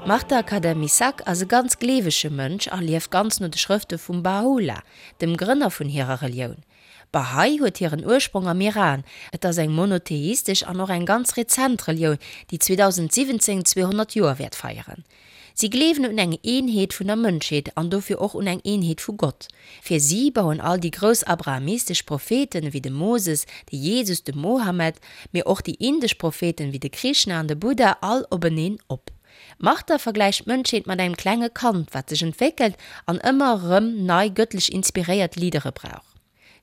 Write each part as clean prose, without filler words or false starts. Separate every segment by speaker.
Speaker 1: D'Marta Khadem-Missak ass e ganz gleewege Mënsch a lieft ganz no de Schrëfte vum Baha'u'llah, dem Grënner vun hirer Relioun. D'Bahá'í huet hiren Ursprong am Iran. Et ass eng monotheistesch an och eng ganz rezent Relioun, déi 2017 200 Joer wäert feieren. Si gleewen un eng Eenheet vun der Mënschheet an dofir och un eng Eenheet vu Gott. Fir si bauen all déi grouss abrahamistesch Propheten ewéi de Moses, de Jesus, de Mohammed, mee och déi indesch Propheten ewéi de Krishna an de Buddha all openeen op. D'Martha vergläicht d'Mënschheet mat engem klenge Kand, wat sech entwéckelt an ëmmer erëm nei gëttlech inspiréiert Leadere brauch.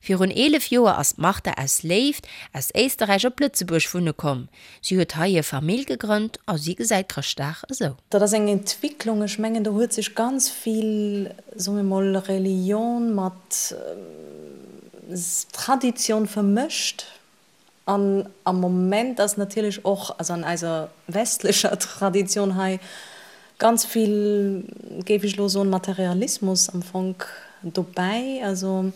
Speaker 1: Virun 11 Joer ass d'Martha aus Léift aus Éisterräich op Lëtzebuerg wunne komm. Si huet hei hir Famill gegrënnt a si gesäit Chrëschtdag esou.
Speaker 2: Dat ass eng Entwicklung, ech mengen do huet sech ganz vill, soe mir mol, Religion mat Tradition vermëscht. An am Moment ass natierlech och, also an eiser westlecher Tradition hei, ganz vill, géif ech elo soen, Materialismus am Fong dobäi. Also,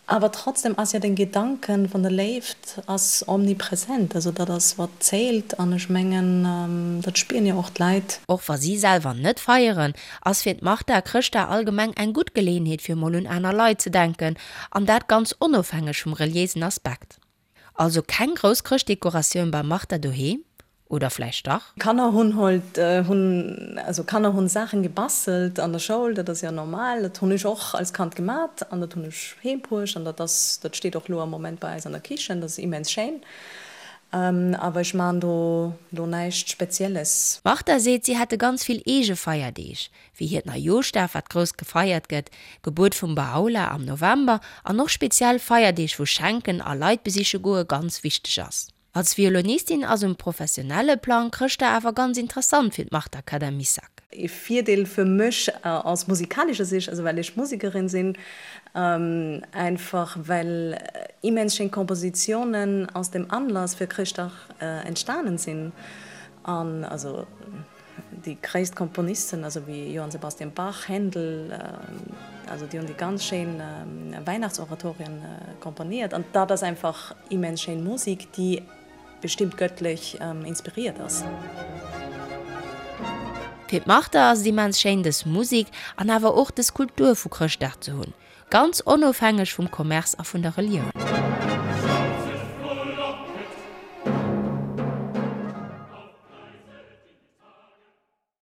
Speaker 2: awer trotzdem ass jo den Gedanken vun der Léift ass omnipresent. Also dat ass wat zählt an ech mengen, dat spieren jo och d'Leit.
Speaker 1: Och wa si selwer net feieren, ass fir d'Martha Chrëschtdag allgemeng eng gutt Geleeënheet fir mol un aner Leit ze denken, an dat ganz onofhängeg vum reliéisen Aspekt. Also keng grouss Chrëschtdekoratioun beim Martha doheem, oder vläicht dach?
Speaker 2: Kanner hunn halt hunn also Kanner hunn Saachen gebastelt an der Schoul, dat ass jo normal, dat hunn ech och als Kand gemat an dat hunn ech heem bruecht an dat ass dat steet och lo am Moment bei eis an der Kichen, dat ass immens schéin, awer ech maan do lo näischt Spezielles.
Speaker 1: D'Martha seet, si hätte ganz vill eege Feierdeeg, wéi hiert Neijooschdag, wat grouss gefeiert gëtt, Gebuert vum Baha'u'llah am November an och speziell Feierdeeg wou Schenken a Leit besiche goe ganz wichteg ass. Als Violonistin ass um professionelle Plang Chrëschtdag awer ganz interessant fir d'Marta Kadamisak.
Speaker 2: Ee Virdeel fir mech aus musikalescher Sicht, also well ech Musekerin sinn, einfach well immens schéin Kompositiounen aus dem Anlass fir Chrëschtdag entstanen sinn an also Déi gréisst Komponisten, also wéi Johann Sebastian Bach, Händel, also déi hunn déi ganz schéin Weihnachtsoratorien komponiert. An dat ass einfach immens schéin Musik, déi bestimmt gëttlech inspiriert ass.
Speaker 1: Fir d'Martha ass et immens schéin dës Musik an awer och dës Kultur vu Chrëschtdag ze hunn, ganz onofhängeg vum Commerce a vun der Relioun.